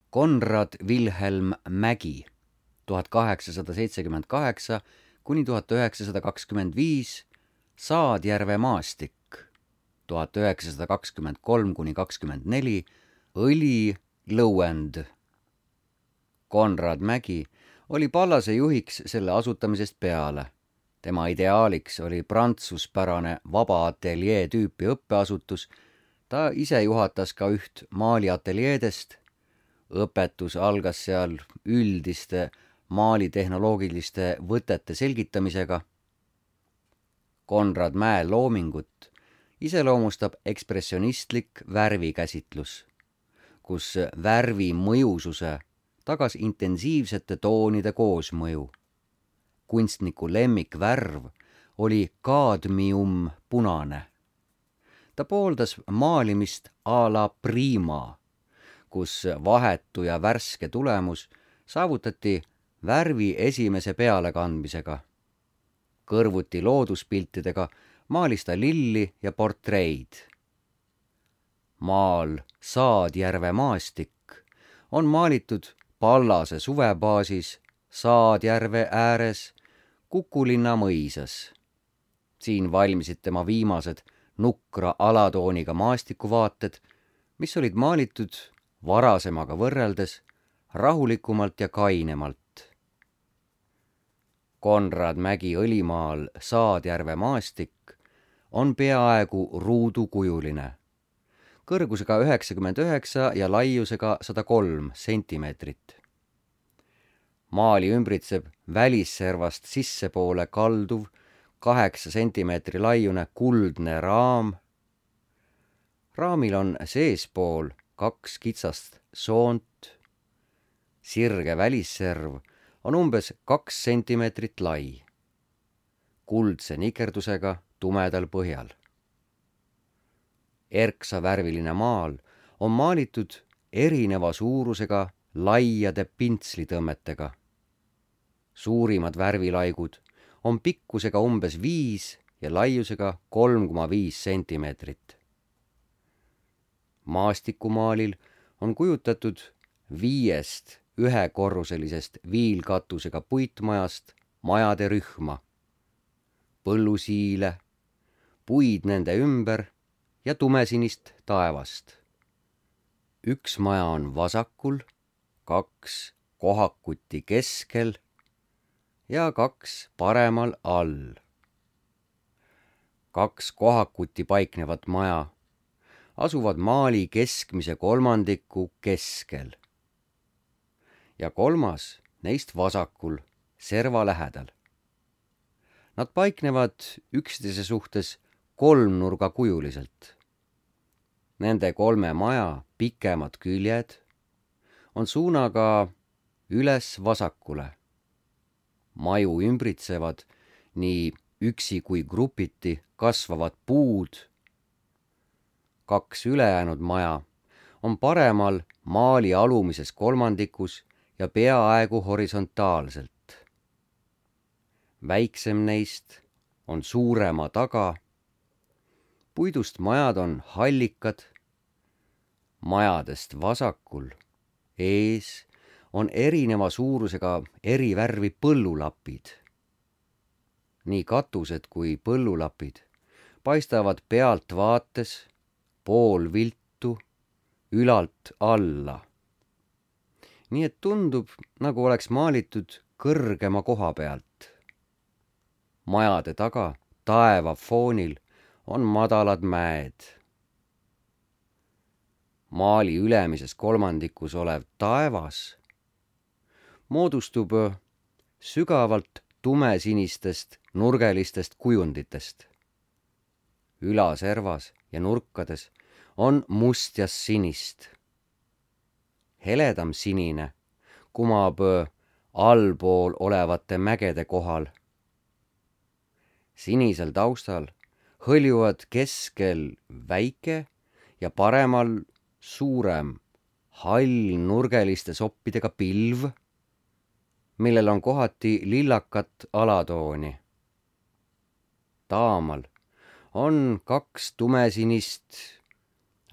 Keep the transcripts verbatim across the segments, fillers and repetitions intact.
Konrad Wilhelm Mägi tuhat kaheksasada seitsekümmend kaheksa kuni tuhat üheksasada kakskümmend viis, Saadjärve maastik tuhat üheksasada kakskümmend kolm kuni kakskümmend neli, õlilõuend. Konrad Mägi oli Pallase juhiks selle asutamisest peale. Tema ideaaliks oli prantsuspärane vaba ateljee tüüpi õppeasutus. Ta ise juhatas ka üht maaliateljeedest. Õpetus algas seal üldiste maalitehnoloogiliste võtete selgitamisega. Konrad Mäe loomingut iseloomustab ekspressionistlik värvikäsitlus, kus värvi mõjususe tagas intensiivsete toonide koosmõju. Kunstniku lemmikvärv oli kaadmium punane. Ta pooldas maalimist a la prima, kus vahetu ja värske tulemus saavutati värvi esimese pealekandmisega. Kõrvuti looduspiltidega maalis ta lilli ja portreid. Maal Saadjärve maastik on maalitud Pallase suvebaasis Saadjärve ääres Kukulinna mõisas. Siin valmisid tema viimased nukra alatooniga maastikuvaated, mis olid maalitud varasemaga võrreldes rahulikumalt ja kainemalt. Konrad Mägi õlimaal Saadjärve maastik on peaaegu ruudukujuline, kõrgusega üheksakümmend üheksa ja laiusega sada kolm sentimeetrit. Maali ümbritseb välisservast sissepoole kalduv kaheksa sentimeetri laiune kuldne raam. Raamil on seespool kaks kitsast soont. Sirge välisserv on umbes kaks sentimeetrit lai, kuldse nikerdusega tumedal põhjal. Erksa värviline maal on maalitud erineva suurusega laiade pintslitõmmetega. Suurimad värvilaigud on pikkusega umbes viis ja laiusega kolm koma viis sentimeetrit. Maastikumaalil on kujutatud viiest ühekorruselisest viilkatusega puitmajast majade rühma, põllusiile, puid nende ümber ja tumesinist taevast. Üks maja on vasakul, kaks kohakuti keskel ja kaks paremal all. Kaks kohakuti paiknevat maja asuvad maali keskmise kolmandiku keskel ja kolmas neist vasakul, serva lähedal. Nad paiknevad üksteise suhtes kolmnurgakujuliselt. Nende kolme maja pikemad küljed on suunaga üles vasakule. Maju ümbritsevad nii üksi kui grupiti kasvavad puud. Kaks ülejäänud maja on paremal maali alumises kolmandikus ja peaaegu horisontaalselt. Väiksem neist on suurema taga. Puidust majad on hallikad. Majadest vasakul ees on erineva suurusega eri värvi põllulapid. Nii katused kui põllulapid paistavad pealt vaates pool viltu ülalt alla. Nii et tundub, nagu oleks maalitud kõrgema koha pealt. Majade taga taeva foonil on madalad mäed. Maali ülemises kolmandikus olev taevas moodustub sügavalt tumesinistest nurgelistest kujunditest. Ülaservas ja nurkades on must ja sinist. Heledam sinine kumab allpool olevate mägede kohal. Sinisel taustal hõljuvad keskel väike ja paremal suurem hall nurgeliste soppidega pilv, millel on kohati lillakat alatooni. Taamal on kaks tumesinist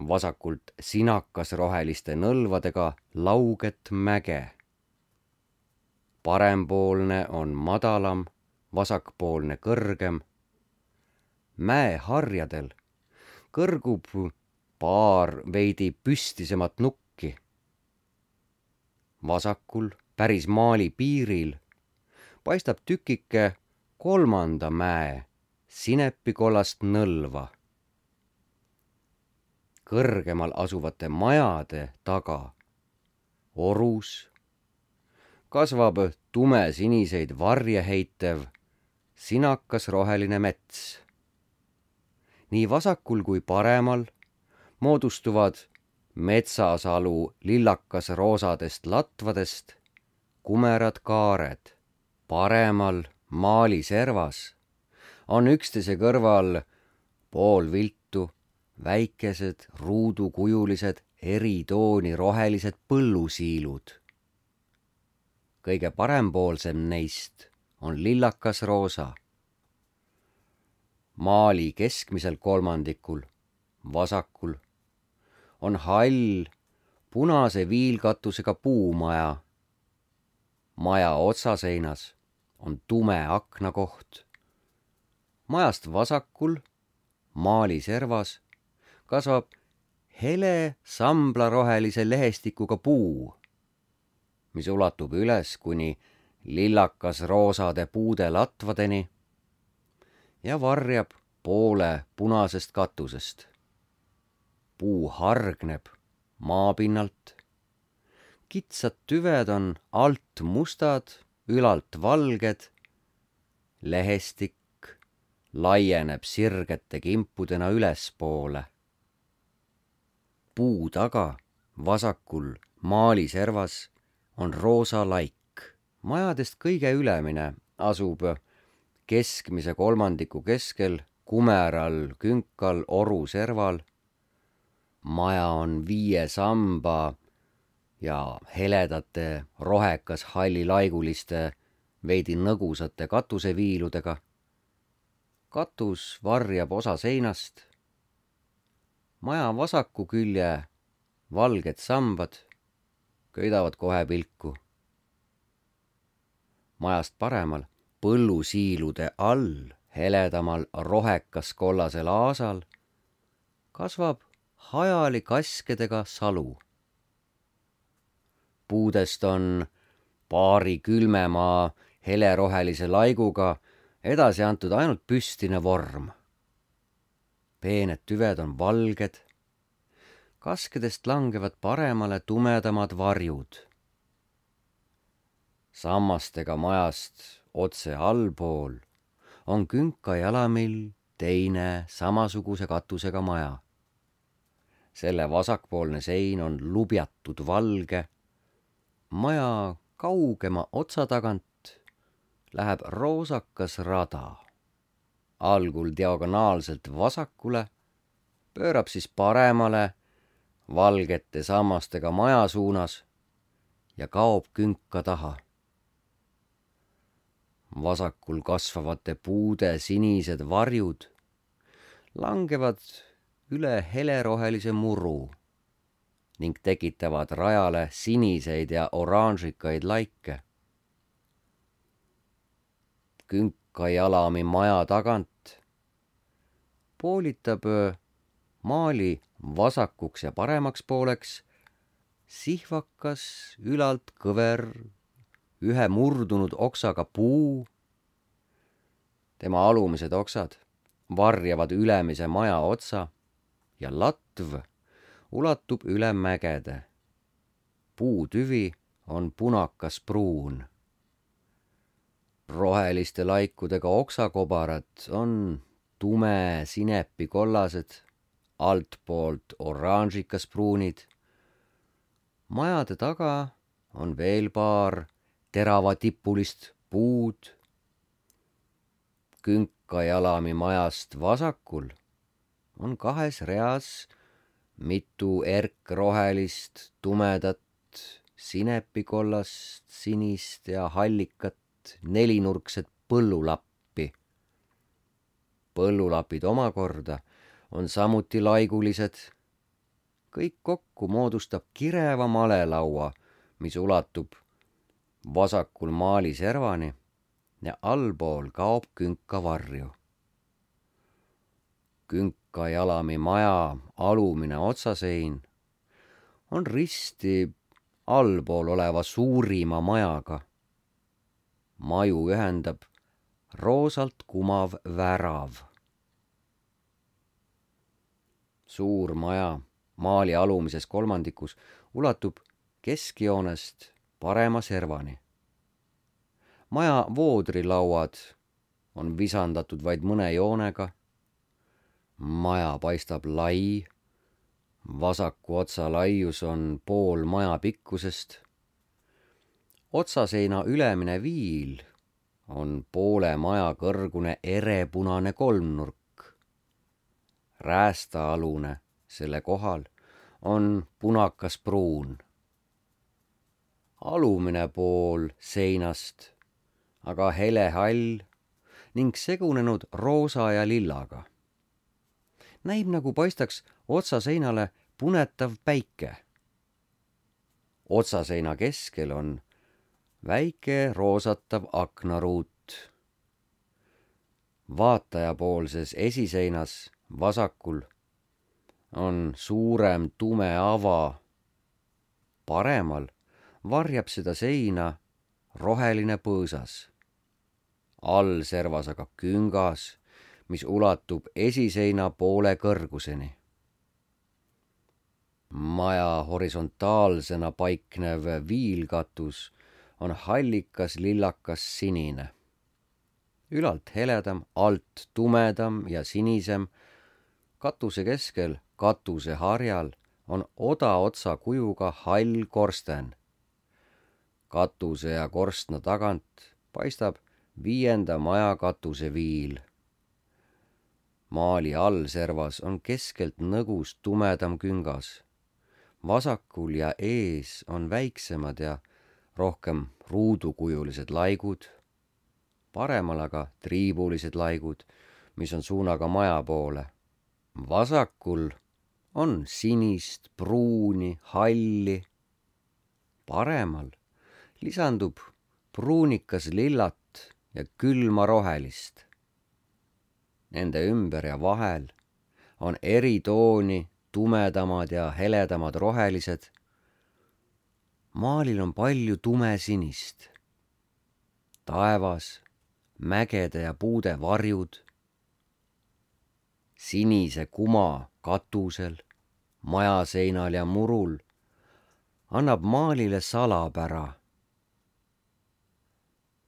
vasakult sinakas roheliste nõlvadega lauget mäge. Parempoolne on madalam, vasakpoolne kõrgem. Mäeharjadel kõrgub paar veidi püstisemat nukki. Vasakul, päris maali piiril, paistab tükike kolmanda mäe sinepikollast nõlva. Kõrgemal asuvate majade taga, orus, kasvab tumesiniseid varje heitev sinakas roheline mets. Nii vasakul kui paremal moodustuvad metsasalu lillakas roosadest latvadest kumerad kaared. Paremal maaliservas on üksteise kõrval poolviltu väikesed ruudukujulised eritooni rohelised põllusiilud. Kõige parempoolsem neist on lillakas roosa. Maali keskmisel kolmandikul, vasakul, on hall punase viilkatusega puumaja. Maja otsaseinas on tume aknakoht. Majast vasakul, maali servas, kasvab hele samblarohelise lehestikuga puu, mis ulatub üles kuni lillakas roosade puude latvadeni ja varjab poole punasest katusest. Puu hargneb maapinnalt. Kitsad tüved on alt mustad, ülalt valged. Lehestik laieneb sirgete kimpudena ülespoole. Puu taga, vasakul maaliservas on roosa laik. Majadest kõige ülemine asub keskmise kolmandiku keskel, kumeral künkal oru serval. Maja on viie samba ja heledate rohekas hallilaiguliste veidi nõgusate katuseviiludega. Katus varjab osa seinast. Maja vasaku külje valged sambad köidavad kohe pilku. Majast paremal põllusiilude all heledamal rohekas kollasel aasal kasvab hajali kaskedega salu. Puudest on paari külmemaa helerohelise laiguga edasi antud ainult püstine vorm. Peened tüved on valged. Kaskedest langevad paremale tumedamad varjud. Sammastega majast otse allpool on künkajalamill teine samasuguse katusega maja. Selle vasakpoolne sein on lubjatud valge. Maja kaugema otsa tagant läheb roosakas rada. Algul diagonaalselt vasakule, pöörab siis paremale valgete sammastega maja suunas ja kaob künka taha. Vasakul kasvavate puude sinised varjud langevad üle helerohelise muru ning tekitavad rajale siniseid ja oranžikaid laike. Künkajalami maja tagant poolitab maali vasakuks ja paremaks pooleks sihvakas ülalt kõver ühe murdunud oksaga puu. Tema alumised oksad varjavad ülemise maja otsa ja latv ulatub üle mägede. Puutüvi on punakas pruun. Roheliste laikudega oksakobarad on tume sinepikollased, altpoolt oranžikas pruunid. Majade taga on veel paar teravatippulist puud. Künkajalami majast vasakul on kahes reas mitu erkrohelist, tumedat, sinepikollast, sinist ja hallikat nelinurkset põllulappi. Põllulapid omakorda on samuti laigulised kõik kokku moodustab kireva malelaua, mis ulatub vasakul maali servani ja allpool kaob künka varju. Künka jalami maja alumine otsasein on risti allpool oleva suurima majaga. Maju ühendab roosalt kumav värav. Suur maja maali alumises kolmandikus ulatub keskjoonest parema servani. Maja voodrilauad on visandatud vaid mõne joonega. Maja paistab lai, vasaku otsa laius on pool maja pikkusest. Otsaseina ülemine viil on poole maja kõrgune erepunane kolmnurk. Räästaalune selle kohal on punakas pruun. Alumine pool seinast aga hele hall ning segunenud roosa ja lillaga. Näib nagu paistaks otsaseinale punetav päike. Otsaseina keskel on väike roosatav aknaruut. Vaatajapoolses esiseinas vasakul on suurem tume ava. Paremal varjab seda seina roheline põõsas. All servas aga küngas, mis ulatub esiseina poole kõrguseni. Maja horisontaalsena paiknev viilkatus on hallikas lillakas sinine. Ülalt heledam, alt tumedam ja sinisem. Katuse keskel katuse harjal on odaotsa kujuga hall korsten. Katuse ja korstna tagant paistab viienda maja katuse viil. Maali all servas on keskelt nõgus tumedam küngas. Vasakul ja ees on väiksemad ja rohkem ruudukujulised laigud. Paremal aga triibulised laigud, mis on suunaga maja poole. Vasakul on sinist, pruuni, halli. Paremal lisandub pruunikas lillat ja külma rohelist. Nende ümber ja vahel on eri tooni tumedamad ja heledamad rohelised. Maalil on palju tumesinist. Taevas, mägede ja puude varjud. Sinise kuma katusel, majaseinal ja murul annab maalile salapära.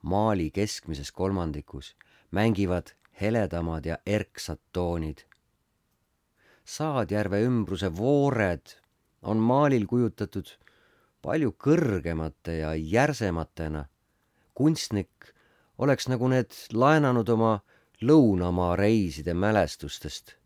Maali keskmises kolmandikus mängivad heledamad ja erksad toonid. Saadjärve ümbruse voored on maalil kujutatud palju kõrgemate ja järsematena. Kunstnik oleks nagu need laenanud oma lõunamaa reiside mälestustest.